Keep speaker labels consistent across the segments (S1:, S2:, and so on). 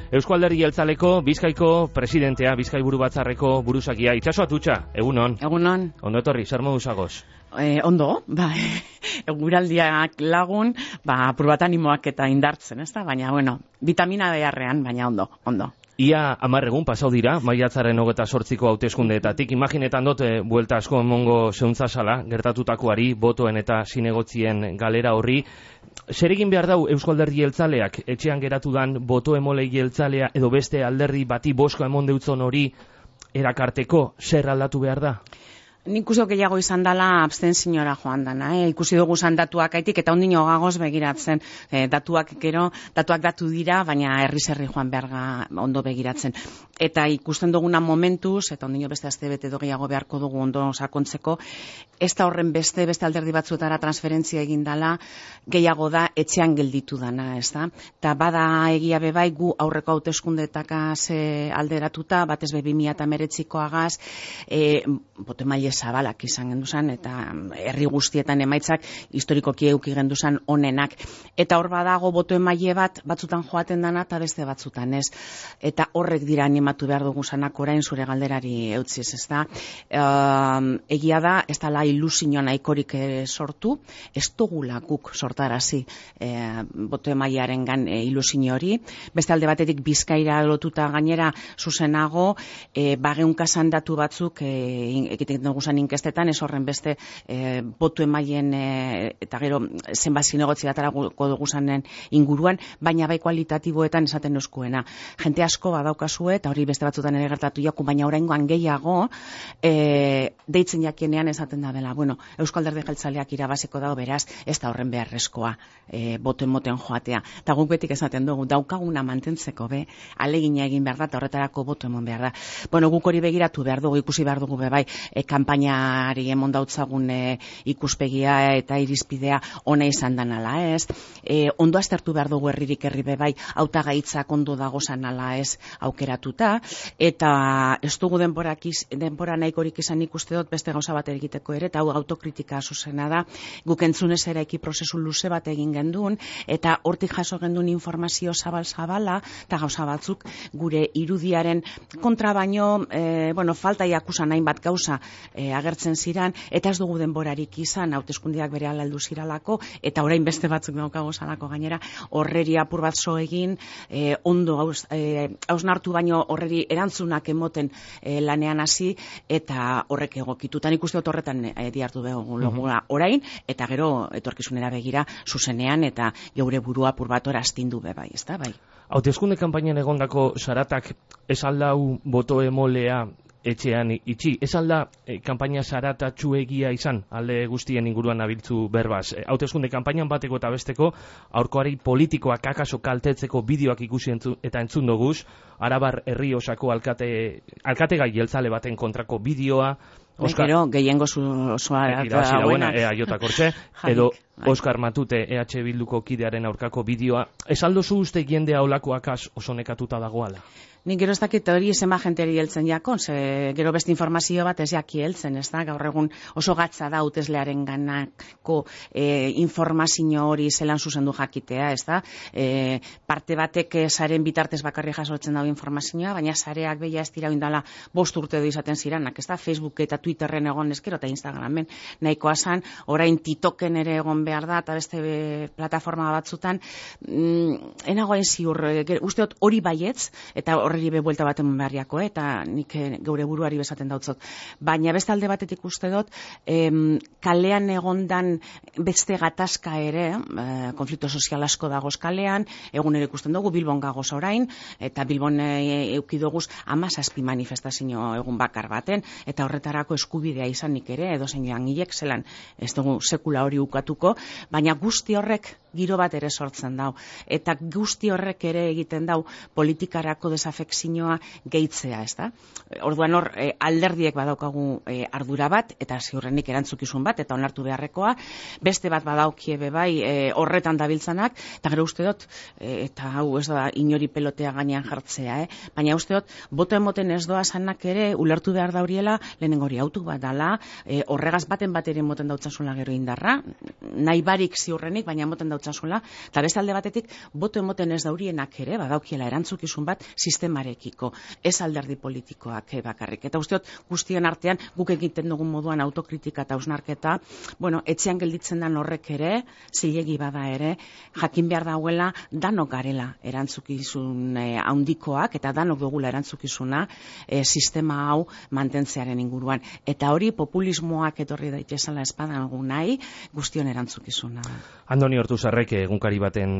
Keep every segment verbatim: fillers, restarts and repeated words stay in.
S1: Eusko Alderdi Jeltzaleko Bizkaiko presidentea, Bizkaiburu Batzarreko buruzakia. Itxaso Atutxa, egunon.
S2: Egunon.
S1: Ondo etorri, zer modu zagoz?
S2: Eh, ondo, ba, eguraldiak lagun, ba, apur bat animoak eta indartzen, ez da? Baina, bueno, vitamina beharrean, baina ondo, ondo.
S1: Ia hamar egun pasau dira, maiatzaren hogeita zortziko hauteskundeetatik. Imaginetan dut, e, buelta asko emongo zeuntza gertatutakoari, botoen eta zinegotzien galera horri. Zer egin behar dau Eusko Alderdi Jeltzaleak, etxean geratu dan boto emolei jeltzalea edo beste alderdi bati boska emon deutzon hori erakarteko, zer aldatu behar da?
S2: Nik uste gehiago izan dela abstenziora joan dana, eh? Ikusi dugu zan datuak aitik eta ondino gagoz begiratzen. Eh, datuak gero, datuak datu dira, baina herri-zerri joan beharga ondo begiratzen. Eta ikusten duguna momentuz, eta ondino beste azte bete do gehiago beharko dugu ondo sakontzeko, ez da horren beste, beste alderdi batzuetara transferentzia egin dala, gehiago da etxean gelditu dana, ez da? Eta bada egia bebai gu aurreko hauteskundeetakaz e, alderatuta, batez be bi mila hemeretzikoagaz, e, bote maile zabalak izan genduzan, eta herri guztietan emaitzak historikoki euki genduzan onenak. Eta hor badago boto emaile bat, batzutan joaten dana eta beste batzutan ez. Eta horrek dira animatu behar dugu zanak orain zure galderari eutziz, ez da? E, egia da, ez dala ilusio nahikorik sortu, ez dugula guk sortarazi e, boto emailearen gan e, ilusio hori. Beste alde batetik Bizkaira lotuta gainera zuzenago, e, bageunkasan datu batzuk e, egiten dugu inkestetan, ez horren beste e, botu emailen e, eta gero zenbat zinegotzi batarako dugu zanen inguruan, baina bai kualitatiboetan esaten euskuena. Jente asko badaukazue, eta hori beste batzutan ere gertatu jaku, baina oraingoan gehiago e, deitzen jakienean esaten da bela. Bueno, Eusko Alderdi Jeltzaleak irabaziko dago, beraz, ez da horren beharrezkoa e, boto emoten joatea. Eta guk betik esaten dugu, daukaguna mantentzeko be, alegina egin behar da, eta horretarako boto emon behar da. Bueno, guk hori begiratu behar dugu, ikusi behar dugu be bai, e, kanpainari emon dautzagun e, ikuspegia eta irizpidea ona izan danala, ez? E, ondo aztertu behar dugu herririk herri bebai, hautagaitzak ondo dagozan ala ez aukeratuta, eta ez dugu denborak iz, denbora nahikorik izan ikuste dut beste gauza bat egiteko ere, eta hau autokritika zuzena da, guk entzunez ere eki prozesu luze bat egin gendun, eta hortik jaso gendun informazio zabal-zabala, eta gauza batzuk gure irudiaren kontra baino, e, bueno, falta jakusan hainbat gauza e, agertzen ziran, eta ez dugu denborarik izan, hauteskundeak bere alaldu ziralako, eta orain beste batzuk daukago zalako gainera, horreri apur bat zo egin, e, ondo hausnartu e, baino horreri erantzunak emoten e, lanean hasi, eta horrek egokitutan ikuste dut horretan e, diartu dugu logura orain, eta gero etorkizunera begira zuzenean, eta geure burua apur bat hor astindu be bai, ez da, bai.
S1: Hauteskunde kanpainan egondako zaratak ez aldau boto emolea etxean itxi. Ez alda e, kanpaina zaratatxuegia izan, alde guztien inguruan abiltzu berbaz. E, hauteskunde kanpainan bateko eta besteko, aurkoari politikoak akaso kaltetzeko bideoak ikusi entzu, eta entzun doguz, Arabar herri osako alkate, alkategai jeltzale baten kontrako bideoa,
S2: Oskar, gero, gehiengo osoa
S1: dauena, ea jota kortxe, edo Oskar Matute E H Bilduko kidearen aurkako bideoa. Ez aldozu uste jendea olakoakaz oso nekatuta dagoala?
S2: Nik gero ez dakit hori zenba jenteri heltzen jakon, ze gero beste informazio bat ez jaki heltzen, ez da, gaur egun oso gatza da hauteslearen ganako e, informazio hori zelan zuzendu jakitea, ez da, e, parte batek saren bitartez bakarri jasotzen dago informazioa, baina sareak beha ez dira indala bost urte du izaten ziranak, ez da, Facebook eta Twitterren egon ezkero eta Instagramen nahikoa zan, orain TikToken ere egon behar da, eta beste be, plataforma batzutan, mm, enagoain ziur, e, usteot hori baietz, eta horre be buelta bat eman beharriako, eh? Eta nik geure buruari bezaten dautzot. Baina beste alde batetik uste dut, em, kalean egondan beste gatazka ere, eh, konflikto sozial asko dagoz kalean, egun ere ikusten dugu, Bilbon gagoz orain, eta Bilbon e, eukidoguz amazazpi manifestazio egun bakar baten, eta horretarako eskubidea izanik ere, edo zein langilek zelan, ez dugu sekula hori ukatuko, baina guzti horrek giro bat ere sortzen dau. Eta guzti horrek ere egiten dau politikarako desafekzioa gehitzea, ez da? Orduan hor, e, alderdiek badaukagu e, ardura bat, eta ziurrenik erantzukizun bat, eta onartu beharrekoa, beste bat badaukie be bai e, horretan dabiltzanak, eta gero uste dut, e, eta hau ez da inori pelotea gainean jartzea, eh? Baina uste dut, boto emoten ez doa zanak ere, ulertu behar dauriela, lehenengo hori autu bat dala, e, horregaz baten bat ere moten dautzasula gero indarra, nahi barik ziurrenik, baina moten dautzasula ditzazuela, eta beste alde batetik, boto emoten ez daurienak ere, badaukiela erantzukizun bat sistemarekiko, ez alderdi politikoak bakarrik. Eta usteot, guztien artean, guk egiten dugun moduan autokritika eta hausnarketa, bueno, etxean gelditzen den horrek ere, zilegi bada ere, jakin behar dauela, danok garela erantzukizun eh, handikoak, eta danok dugula erantzukizuna eh, sistema hau mantentzearen inguruan. Eta hori populismoak etorri daitezela espadan gu nahi, guztion erantzukizuna.
S1: Andoni Ortuzarrek egunkari baten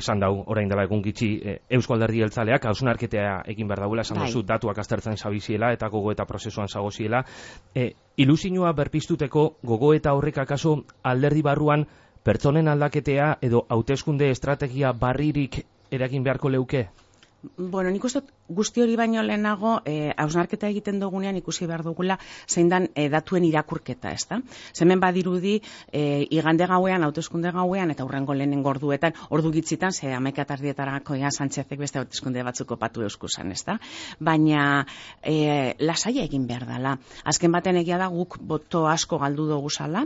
S1: esan dau, orain dela egun gitxi, Eusko Alderdi Jeltzaleak hausnarketea egin behar dagoela, esan duzu, datuak aztertzen zabiziela eta gogoeta prozesuan zagoziela. E, ilusinua berpiztuteko gogoeta horrek akaso alderdi barruan pertsonen aldaketea edo hauteskunde estrategia barririk eragin beharko leuke?
S2: Bueno, nik uste guzti hori baino lehenago, hausnarketa eh, egiten dugunean ikusi behar dugula zein dan eh, datuen irakurketa, ez da? Zemen badirudi, eh, igande gauean, hauteskunde gauean, eta hurrengo lehenengo orduetan, ordu gitzitan, ze hamaika tardietarako ja Sánchezek beste hauteskunde batzuk opatu euskusan, ez da? Baina, eh, lasaia egin behar dela. Azken baten egia da guk boto asko galdu dugu zala,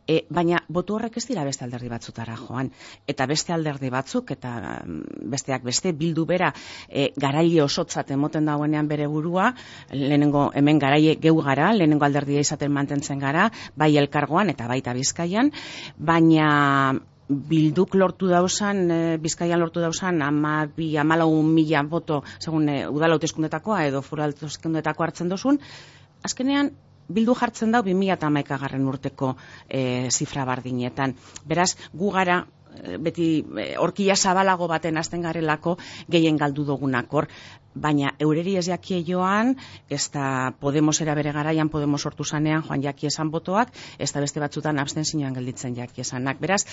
S2: eh, baina boto horrek ez dira beste alderdi batzutara joan. Eta beste alderdi batzuk, eta besteak beste, bildu bera, E, garaile osotzat emoten dagoenean bere burua, lehenengo hemen garaile geu gara, lehenengo alderdia izaten mantentzen gara, bai elkargoan eta baita Bizkaian, baina Bilduk lortu dauzan, e, Bizkaian lortu dauzan, ama bi, amalau mila boto, segun e, udal hauteskundetakoa edo foru hauteskundetakoa hartzen dozun, azkenean Bildu jartzen dau bi mila hamaikagarren urteko e, zifra bardinetan. Beraz, gu gara beti horkia zabalago baten hasten garelako gehien galdu dugunak hor, baina eureri ez jakie joan, ez da Podemosera bere garaian Podemos sortu zanean joan jaki esan botoak, ez da beste batzutan abstentzioan gelditzen jaki esanak. Beraz,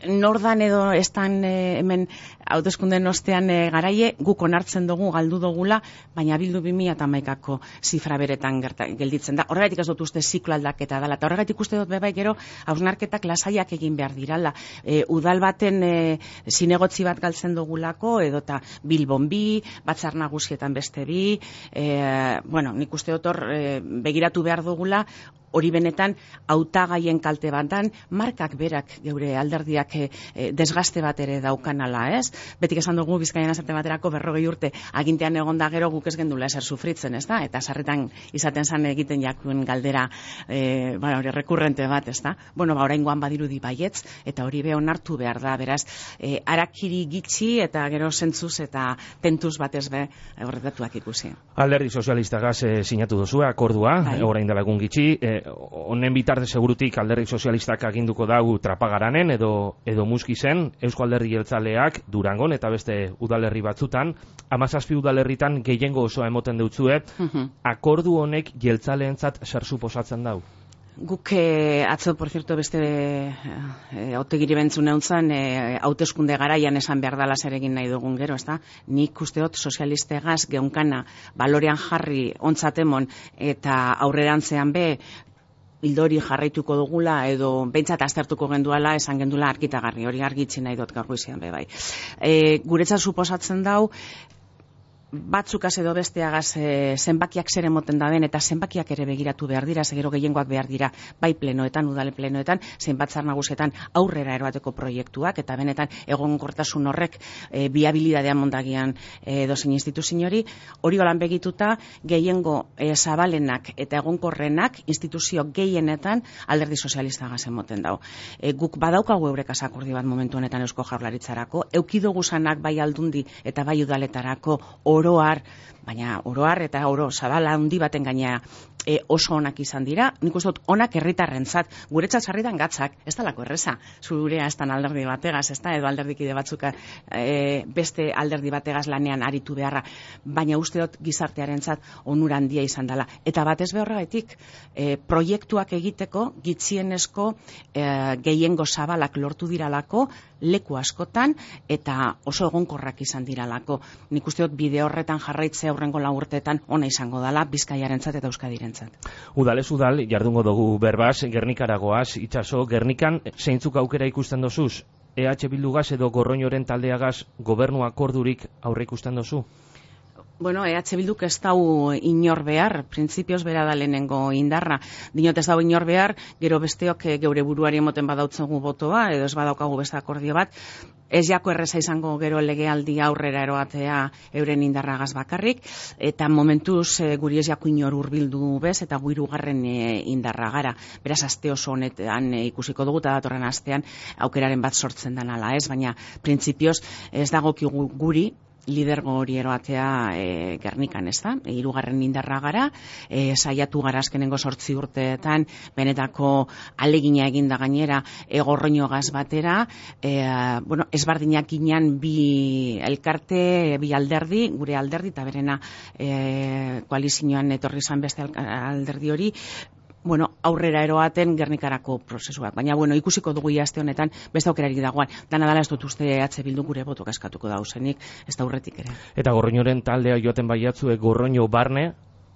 S2: nordan edo estan e, hemen hauteskunden ostean e, garaie, guk onartzen dugu, galdu dugula, baina Bildu bi mila hamaikako zifra beretan gerta, gelditzen da. Horregatik ez dut uste ziklo aldaketa dela, eta horregatik uste dut bebai gero hausnarketak lasaiak egin behar dirala. E, udal baten e, zinegotzi bat galtzen dugulako, edota Bilbon bi, Batzar Nagusietan beste bi, e, bueno, nik uste dut hor e, begiratu behar dugula, hori benetan hautagaien kalte batan, markak berak geure alderdiak e, desgaste bat ere daukanala, ez? Betik esan dugu Bizkaian esate baterako berrogei urte agintean egonda gero guk ez gendula eser sufritzen, ez da? Eta sarretan izaten zan egiten jakuen galdera e, ba, hori rekurrente bat, ez da? Bueno, ba, oraingoan badirudi baietz, eta hori be onartu behar da, beraz, e, arakiri gitxi eta gero zentzuz eta tentuz batez be horretatuak ikusi.
S1: Alderdi Sozialistagaz e, sinatu duzu akordua, bai. Orain dela egun gitxi, e, honen bitartez segurutik Alderdi Sozialistak aginduko dagu Trapagaranen edo edo Muskizen, Eusko Alderdi Jeltzaleak Durangon eta beste udalerri batzutan, hamazazpi udalerritan gehiengo osoa emoten deutzue, uh-huh. Akordu honek jeltzaleentzat zer suposatzen dau?
S2: Guk eh, atzo, por cierto, beste eh, autegiri bentzun euntzan, eh, hauteskunde garaian esan behar dala zer egin nahi dugun gero, ez da? Nik usteot sozialistegaz geunkana balorean jarri ontzatemon eta aurrerantzean be, bildori jarraituko dugula edo behintzat aztertuko genduala esan gendula argitagarri, hori argitzi nahi dut gaur goizean be bai. E, guretzat suposatzen dau, batzukaz edo besteagaz e, zenbakiak zer emoten da den eta zenbakiak ere begiratu behar dira, segero gehiengoak behar dira bai plenoetan, udale plenoetan, zein Batzar Nagusietan aurrera eroateko proiektuak eta benetan egonkortasun horrek e, biabilidadean mondagian e, dozein instituzio hori, hori holan begituta gehiengo e, zabalenak eta egonkorrenak instituzio gehienetan Alderdi Sozialistagaz emoten dau. E, guk badaukagu eurekaz akordio bat momentu honetan Eusko Jaurlaritzarako, eukido gusanak bai aldundi eta bai udaletarako oroar, baina oroar eta oro zabala handi baten gaina e, oso onak izan dira. Nik uste dut onak herritarrentzat, guretzat sarritan gatzak, ez dalako erreza, zurea ez dan alderdi bategaz, ez da, edo alderdikide batzuka e, beste alderdi bategaz lanean aritu beharra, baina uste dut gizartearentzat onura handia izan dela. Eta batez behorregatik, e, proiektuak egiteko, gitzienezko e, gehiengo zabalak lortu diralako, leku askotan, eta oso egonkorrak izan diralako. Nik uste dut bide horretan jarraitzea aurrengo lau urteetan ona izango dela Bizkaiarentzat eta Euskadirentzat.
S1: Udalez udal, jardungo dugu berbaz, Gernikaragoaz, itxaso, Gernikan zeintzuk aukera ikusten dozuz? E H Bildugaz edo Gorroñoren taldeagaz gobernu akordurik aurre ikusten dozu?
S2: Bueno, E H Bilduk ez dau inor behar, printzipioz bera da lehenengo indarra. Dinot ez dau inor behar, gero besteok geure buruari emoten badautzegu botoa, edo ez badaukagu beste akordio bat, ez jako erreza izango gero legealdi aurrera eroatea euren indarragaz bakarrik, eta momentuz e, guri ez jako inor hurbildu bez, eta gu hirugarren e, indarra gara. Beraz, aste oso honetan e, ikusiko dugu, eta datorren astean aukeraren bat sortzen den ala ez, baina printzipioz ez dagokigu guri, lidergo hori eroatea e, Gernikan, ez da? E, hirugarren indarra gara, e, saiatu gara azkenengo sortzi urteetan, benetako alegina eginda gainera, e, gorroinogaz batera, e, bueno, ezbardinak ginean bi elkarte, bi alderdi, gure alderdi, eta berena e, koalizioan etorri zan beste alderdi hori, bueno, aurrera eroaten Gernikarako prozesuak. Baina, bueno, ikusiko dugu aste honetan beste aukerarik dagoan. Dana dala ez dut uste E H Bildu gure botok eskatuko dauzenik, ez da urretik ere.
S1: Eta Gorroñoren taldea joaten baiatzue Gorroño barne,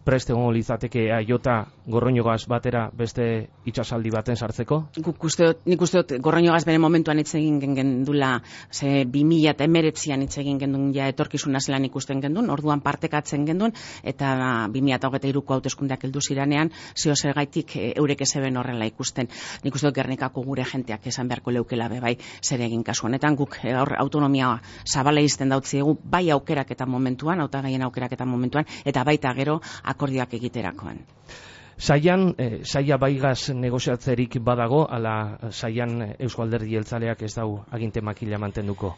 S1: prest egongo litzateke aiota Gorroñogaz batera beste itsasaldi baten sartzeko?
S2: Guk uste dut, nik uste dut Gorroñogaz bere momentuan hitz egin gendula, ze bi mila emeretzian hitz egin gendun ja etorkizuna zelan ikusten gendun, orduan partekatzen gendun, eta bi mila hogeita hiruko hauteskundeak heldu ziranean, zeo zer gaitik eurek ezeben horrela ikusten. Nik uste dut Gernikako gure jenteak esan beharko leukela be bai zer egin kasu honetan, guk hor autonomia zabala izten dautziegu, bai aukerak eta momentuan, hautagaien aukerak eta momentuan, eta baita gero akordioak egiterakoan.
S1: Saian, eh, saia baigaz negoziatzerik badago, ala saian Eusko Alderdi Jeltzaleak ez dau aginte makila mantenduko?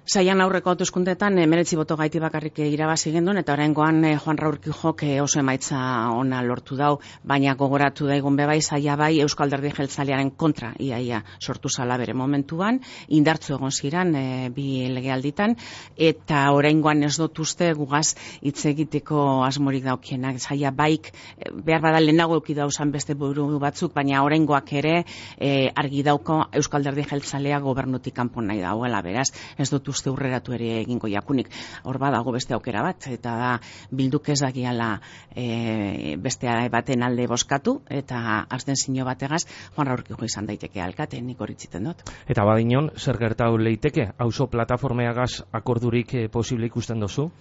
S2: Saian aurreko hauteskundeetan emeretzi boto gaiti bakarrik irabazi gendun, eta oraingoan eh, Juan Raúl Kijok eh, oso emaitza ona lortu dau, baina gogoratu daigun bebai, saia bai Eusko Alderdi Jeltzalearen kontra iaia sortu zala bere momentuan, indartzu egon ziran eh, bi legealditan, eta oraingoan ez dut uste gugaz hitz egiteko asmorik daukienak. Saia baik eh, behar bada lehenago euki dauzan beste buru batzuk, baina oraingoak ere eh, argi dauko Eusko Alderdi Jeltzalea gobernutik kanpo nahi dauela, beraz, ez dut uste urreratu ere egingo jakunik. Hor badago beste aukera bat, eta da Bilduk ez dagiala e, beste baten alde boskatu, eta azten zino bategaz Juan Raúl Kijok izan daiteke alkate, nik horitziten dut.
S1: Eta badinon, zer gertau leiteke? Auzo plataformeagaz akordurik eh, posible ikusten dozu?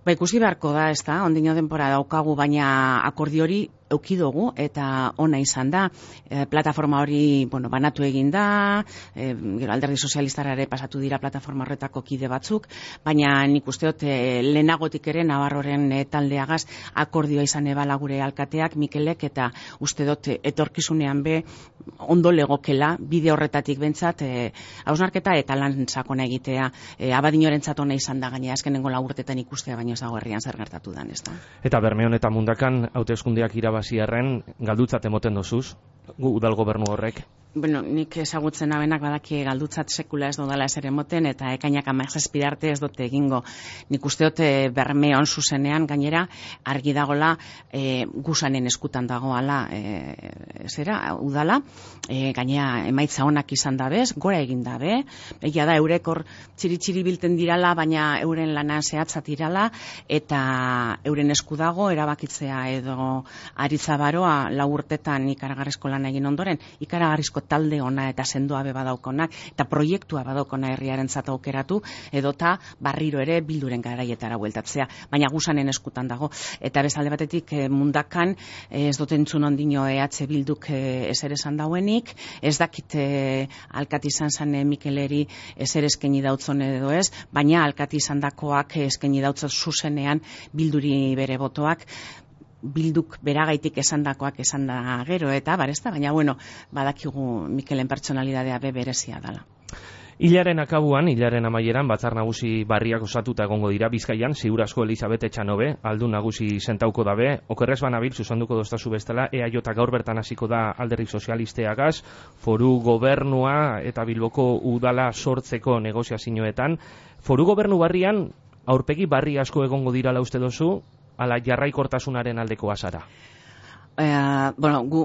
S2: Ba, ikusi beharko da, ez da, ondino denpora daukagu, baina akordio hori eukidogu eta ona izan da. E, plataforma hori, bueno, banatu egin da, e, gero Alderdi Sozialistara ere pasatu dira plataforma horretako kide batzuk, baina nik usteot e, lehenagotik ere Navarroren e, taldeagaz akordioa izan ebala gure alkateak, Mikelek, eta uste dut e, etorkizunean be ondo legokela, bide horretatik bentsat, e, hausnarketa eta lan sakona egitea, e, abadinorentzat ona izan da, gaina azkenengo lau urtetan ikustea, baina ez dago herrian zer gertatu dan, ez da.
S1: Eta Bermeon eta Mundakan hauteskundeak irabaziarren galdutzat emoten dozuz, gu udal gobernu horrek?
S2: Bueno, nik ezagutzen abenak badaki galdutzat sekula ez dodala ezer emoten, eta ekainak hamazazpi arte ez dute egingo. Nik usteot e, Bermeon zuzenean gainera argi dagola e, gusanen eskutan dagoala e, zera, udala, e, gainera emaitza onak izan dabez, gora egin dabe, egia da eurek hor txiri-txiri bilten dirala, baina euren lana zehatzat irala, eta euren esku dago erabakitzea edo aritza baroa lau urtetan ikaragarrizko lan egin ondoren, ikaragarrizko talde ona eta sendoa be badaukonak, eta proiektua badaukona herriarentzat aukeratu, edota barriro ere Bilduren garaietara bueltatzea, baina gusanen eskutan dago. Eta bezalde batetik e, Mundakan e, ez dut entzun ondino E H Bilduk e, ezer esan dauenik, ez dakit e, alkati izan zan e, Mikeleri ezer eskaini dautzon edo ez, baina alkati izan dakoak eskaini dautzot zuzenean Bilduri bere botoak, Bilduk beragaitik esandakoak esan da gero, eta barezta, baina bueno, badakigu Mikelen pertsonalidadea be berezia dela.
S1: Hilaren akabuan, hilaren amaieran, batzar nagusi barriak osatuta egongo dira Bizkaian, ziur asko Elizabete Etxanobe, aldun nagusi sentauko dabe, okerrez banabil, zuzenduko doztazu bestela, E A J gaur bertan hasiko da Alderdi Sozialisteagaz, foru gobernua eta Bilboko udala sortzeko negoziazioetan. Foru gobernu barrian, aurpegi barri asko egongo dirala uste dozu, ala jarraikortasunaren aldeko azara?
S2: Eh, bueno, gu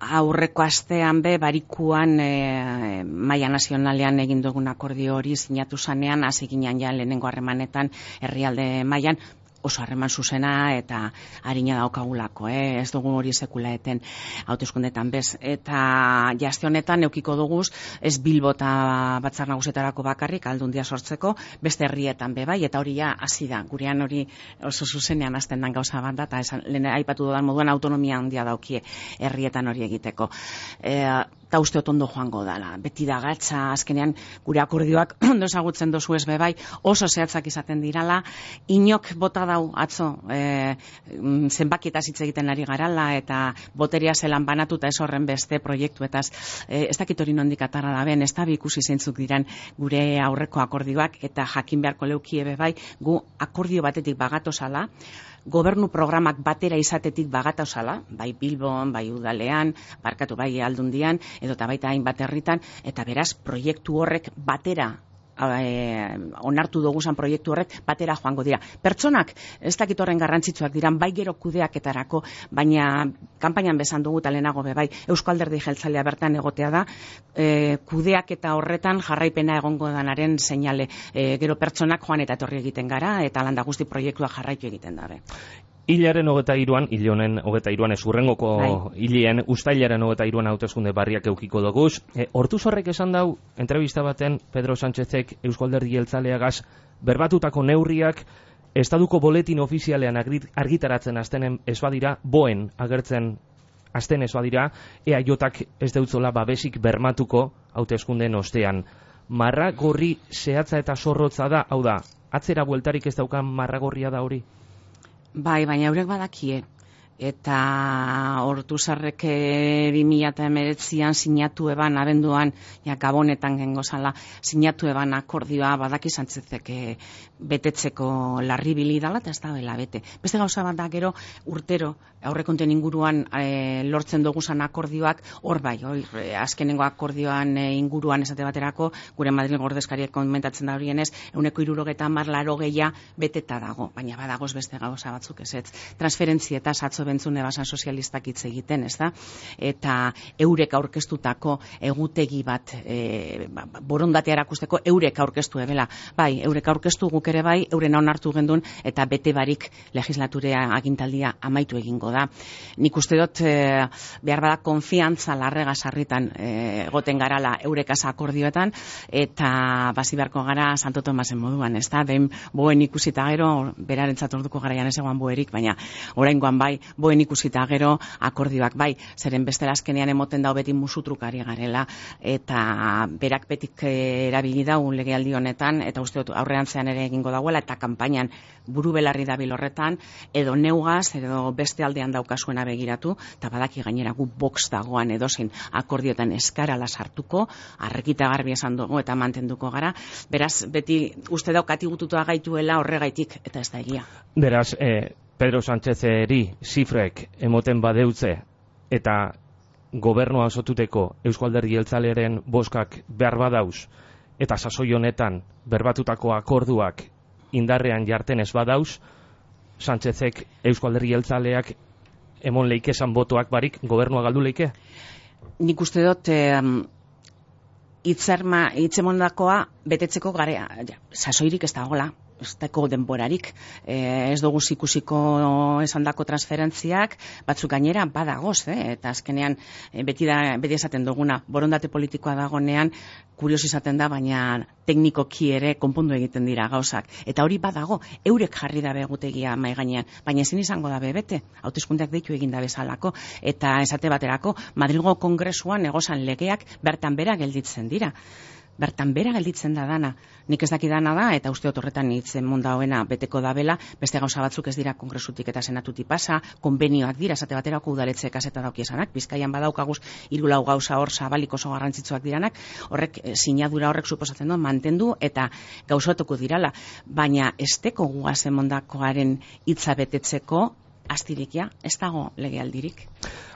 S2: aurreko astean be barikuan e, maila nazionalean egin dugun akordio hori sinatu zanean, hasi ginean ja lehenengo harremanetan herrialde mailan, oso harreman zuzena eta harina daukagulako, eh? Ez dugu hori sekula eten hauteskundetan bez. Eta jaste honetan eukiko duguz, ez Bilbo eta Batzar Nagusietarako bakarrik aldundia sortzeko, beste herrietan be bai, eta hori ja hasi da. Gurean hori oso zuzenean hasten den gauza bat da, eta esan, lehen aipatu dudan moduan autonomia handia daukie herrietan hori egiteko. E, eta uste otondo joango dela. Beti da gatza, azkenean gure akordioak ondo ezagutzen dozu ez bebai, oso zehatzak izaten dirala, inok bota dau atzo e, zenbakietaz hitz egiten ari garala, eta boteria zelan banatuta ez horren beste proiektuetaz, e, ez dakit hori nondik atarra da ben, ez da bi ikusi zeintzuk diran gure aurreko akordioak, eta jakin beharko leukie bebai, gu akordio batetik bagatozala, gobernu programak batera izatetik bagatozala, bai Bilbon, bai Udalean, barkatu bai Aldundian, edo eta baita hainbat herritan, eta beraz proiektu horrek batera E, onartu duguzan proiektu horrek batera joango dira. Pertsonak ez dakit horren garrantzitsuak diran, bai gero kudeaketarako, baina kanpainan bezan dugu talenago bebai, Eusko Alderdi Jeltzalea bertan egotea da, e, kudeaketa horretan jarraipena egongo danaren seinale, e, gero pertsonak joan eta etorri egiten gara, eta landa guzti proiektua jarraitu egiten dabe.
S1: Hilaren hogeta iruan, hil honen hogeta iruan, ez urrengoko hilien, ustailaren hogeta iruan hauteskunde barriak eukiko doguz. E, Hortuz horrek esan dau, entrevista baten, Pedro Sánchezek Eusko Alderdi Jeltzaleagaz berbatutako neurriak, estaduko boletin ofizialean argitaratzen aztenen ez badira, boen agertzen azten ez badira, E A Jak ez deutzola babesik bermatuko hauteskundeen ostean. Marragorri zehatza eta zorrotza da, hau da, atzera bueltarik ez daukan marragorria da hori?
S2: Bai, baina eurek badakie. Eta Ortuzarrek bi mila hemeretzian sinatu eban abenduan, ja Gabonetan gengo zala, sinatu eban akordioa badaki Sánchezek betetzeko larribili dala, eta ez da bela bete. Beste gauza bat da gero urtero aurrekonten inguruan e, lortzen duguzan akordioak, hor bai, hor, e, azkenengo akordioan e, inguruan esate baterako, gure Madrid ordezkariek komentatzen da horienez, euneko irurogeta hamar laro gehia beteta dago, baina badagoz beste gauza batzuk ez ez. Transferentzietaz atzo bentzune basan sozialistak hitz egiten, ez da? Eta eurek aurkeztutako egutegi bat e, borondatea erakusteko eurek aurkeztu ebela. Bai, eurek aurkeztu guk ere bai, euren onartu gendun, eta bete barik legislaturea agintaldia amaitu egingo da. Nik uste dut e, behar bada konfiantza larrega sarritan egoten e, garala eurekaz akordioetan, eta basi beharko gara Santo Tomasen moduan, ez da? Behin boen ikusita gero, berarentzat orduko garaian ez egoan boerik, baina oraingoan bai, boen ikusita gero akordioak bai, zeren bestela azkenean emoten dau beti musutrukari garela, eta berak betik erabili dau legealdi honetan, eta uste dut aurrean zean ere egingo dagoela, eta kanpainan buru belarri dabil horretan, edo neugaz, edo beste aldean daukasuena begiratu, eta badaki gainera gu box dagoan edozein akordioetan eskarala sartuko, arrekita garbi esan dugu eta mantenduko gara, beraz beti uste daukati gututua gaituela horregaitik, eta ez da egia.
S1: Beraz, eh... Pedro Sánchezeri zifrek emoten badeutze eta gobernua osotuteko Eusko Alderdi Jeltzalearen boskak behar badauz eta sasoi honetan berbatutako akorduak indarrean jarten ez badauz, Sánchezek Eusko Alderdi Jeltzaleak emon leikesan botoak barik gobernua galdu leike?
S2: Nik uste dut eh, itzerma, itzemondakoa betetzeko garea, ja, sasoirik ez dagoela. Ez dako denborarik, e, ez dugu ikusiko esandako transferentziak, batzuk gainera badagoz, eh? Eta azkenean e, beti, da, beti esaten duguna, borondate politikoa dagonean, kurios izaten da, baina teknikoki ere konpondu egiten dira gauzak. Eta hori badago, eurek jarri dabe egutegia mai gainean, baina ezin izango dabe bete, hauteskundeak deitu egin da bezalako, eta esate baterako, Madrilgo Kongresuan egozan legeak bertan bera gelditzen dira. Bertan bera gelditzen da dana. Nik ez daki dana da, eta uste dut horretan hitzen munda hoena beteko dabela, beste gauza batzuk ez dira kongresutik eta senatutik pasa, konbenioak dira, esate baterako udaletxe kaseta daukiesanak, Bizkaian badaukaguz hiru lau gauza hor zabalik oso garrantzitsuak diranak, horrek sinadura horrek suposatzen du mantendu eta gauzatuko dirala, baina esteko guazen mondakoaren hitza betetzeko astirikia, ez dago legealdirik.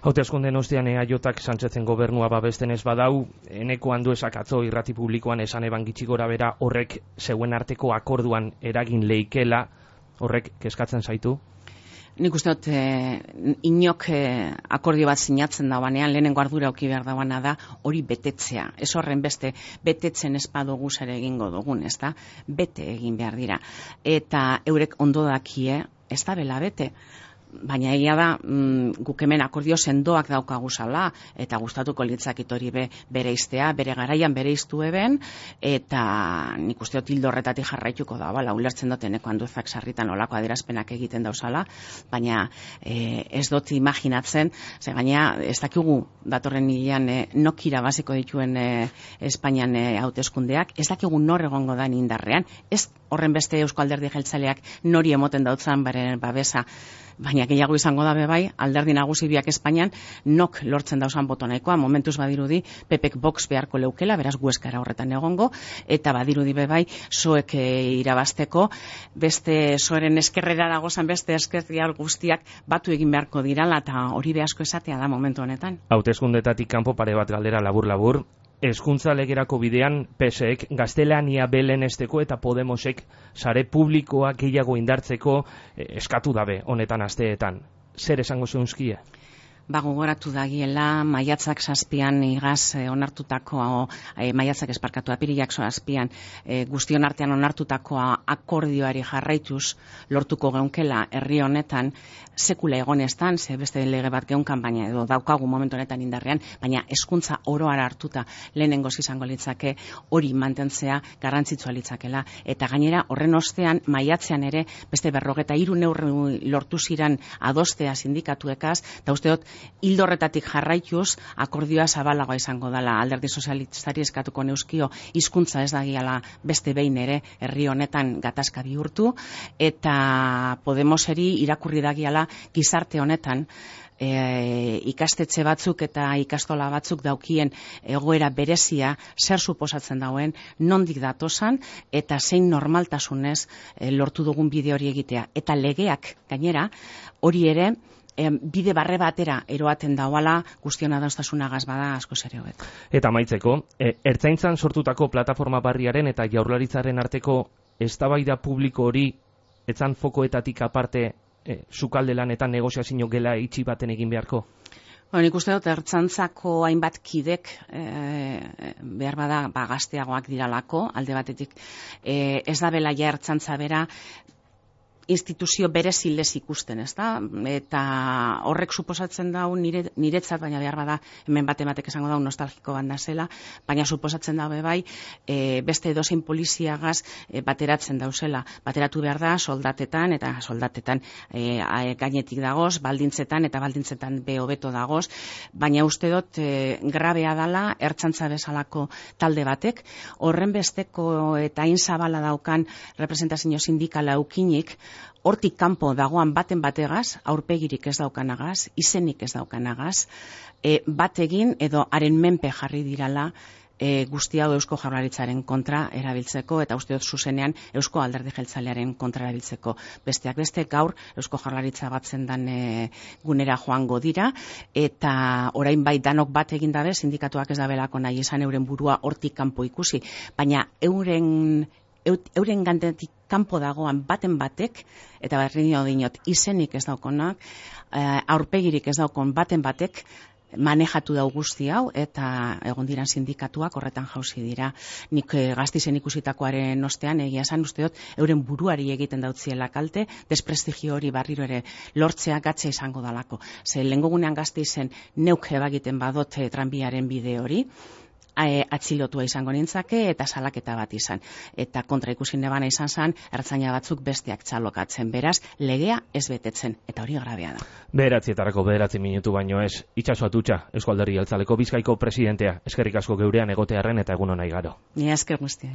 S1: Hauteskundeen ostean E A Jak Sánchezen gobernua babesten ez badau, eneko handuesak atzo irrati publikoan esan eban gitxi gora bera horrek zeuen arteko akorduan eragin leikela, horrek kezkatzen zaitu?
S2: Nik uste dut, eh, inok eh, akordio bat sinatzen dauanean, lehenengo ardura auki behar dauana da, hori betetzea. Ez horren beste, betetzen ez badugu ere egingo dugun, ez da? Bete egin behar dira. Eta eurek ondo dakie, ez da bela bete. Baina egia da, mm, guk hemen akordio sendoak daukaguzala, eta gustatuko litzakit hori be, bere iztea, bere garaian bere iztu eben, eta nik uste dut hildo horretatik jarraituko da, bala, ulertzen duteneko handuzak sarritan olako adierazpenak egiten dauzala, baina e, ez dut imaginatzen, ze gaina ez dakigu datorren hilean e, nok irabaziko dituen e, Espainian e, hauteskundeak, ez dakigu nor egongo da indarrean, ez horren beste Eusko Alderdi Jeltzaleak nori emoten dautzan beren babesa, baina gehiago izango da bebai, alderdi nagusi biak Espainian nok lortzen dauzan boto nahikoa, momentuz badirudi Pepek Vox beharko leukela, beraz gueskara horretan egongo, eta badirudi bebai soek e, irabazteko, beste soeren eskerrera dagozan beste eskerrial guztiak batu egin beharko dirala, eta hori be asko esatea da momentu honetan.
S1: Hauteskundetatik kanpo pare bat galdera labur-labur, hezkuntza legerako bidean P S ek gaztelania belenesteko eta Podemosek sare publikoa gehiago indartzeko eh, eskatu dabe honetan asteetan. Zer esango zeunzkia?
S2: Ba, gogoratu dagiela, maiatzak zazpian igaz e, onartutako, e, maiatzak esparkatu apirilak zazpian e, guztion artean onartutakoa akordioari jarraituz lortuko geunkela herri honetan sekula egonestan, ze beste lege bat geunkan, baina edo daukagu momentu honetan indarrean, baina hezkuntza oroara hartuta lehenengoz izango litzake hori mantentzea garrantzitsua litzakela. Eta gainera horren ostean maiatzean ere beste berrogeta hiru neurri lortu ziran adostea sindikatuekaz, eta uste dut hildo horretatik jarraituz akordioa zabalagoa izango dela. Alderdi sozialistari eskatuko neuzkio hizkuntza ez dagiala beste behin ere herri honetan gatazka bihurtu, eta Podemoseri irakurri dagiala gizarte honetan E, ikastetxe batzuk eta ikastola batzuk daukien egoera berezia zer suposatzen dauen, nondik datosan eta zein normaltasunez e, lortu dugun bide hori egitea. Eta legeak gainera hori ere e, bide barre batera eroaten dauala guztiona dauztasunagaz bada asko ere hobeto.
S1: Eta amaitzeko, e, ertzaintzan sortutako plataforma barriaren eta jaurlaritzaren arteko eztabaida publiko hori etzan fokoetatik aparte E, sukalde lanetan negoziazio gela itxi baten egin beharko?
S2: Bueno, nik uste dut ertzaintzako hainbat kidek e, behar bada ba, gazteagoak diralako, alde batetik e, ez da bela ja ertzaintza bera instituzio berezilez ikusten, ez da? Eta horrek suposatzen dau nire, niretzat, baina behar bada hemen bate batek esango dau nostalgiko banda zela, baina suposatzen da bai e, beste edozein poliziagaz e, bateratzen dauzela. Bateratu behar da soldatetan, eta soldatetan e, gainetik dagoz, baldintzetan, eta baldintzetan be hobeto dagoz, baina uste dut e, grabea dala ertzaintza bezalako talde batek, horren besteko eta hain zabala daukan representazio sindikala eukinik, hortik kanpo dagoan baten bategaz, aurpegirik ez daukanagaz, izenik ez daukanagaz, e, bat egin edo haren menpe jarri dirala e, guzti hau Eusko Jaurlaritzaren kontra erabiltzeko, eta uste dut zuzenean Eusko Alderdi Jeltzalearen kontra erabiltzeko. Besteak beste gaur Eusko Jaurlaritza batzen dan e, gunera joango dira, eta orain bai danok bat egin dabe, sindikatuak ez dabelako nahi esan euren burua hortik kanpo ikusi, baina euren euren gantetik kanpo dagoan baten batek, eta berri dinot izenik ez daukonak, aurpegirik ez daukon baten batek, manejatu dau guzti hau, eta egon diran sindikatuak horretan jauzi dira. Nik e, Gasteizen ikusitakoaren ostean, egia esan uste dut, euren buruari egiten dautziela kalte, desprestigio hori barriro ere lortzea gatza izango dalako. Ze lehengo gunean Gasteizen neuk ebagiten badot e, tranbiaren bide hori, atxilotua izango nintzake eta salaketa bat izan. Eta kontra ikusi nebana izan zen, ertzaina batzuk besteak txalokatzen. Beraz, legea ez betetzen, eta hori grabea da.
S1: Bederatzietako bederatzi minutu baino ez, Itxaso Atutxa, Eusko Alderdi Jeltzaleko Bizkaiko presidentea, eskerrik asko geurean egotearren eta egun ona igaro.
S2: Ni esker guztiai.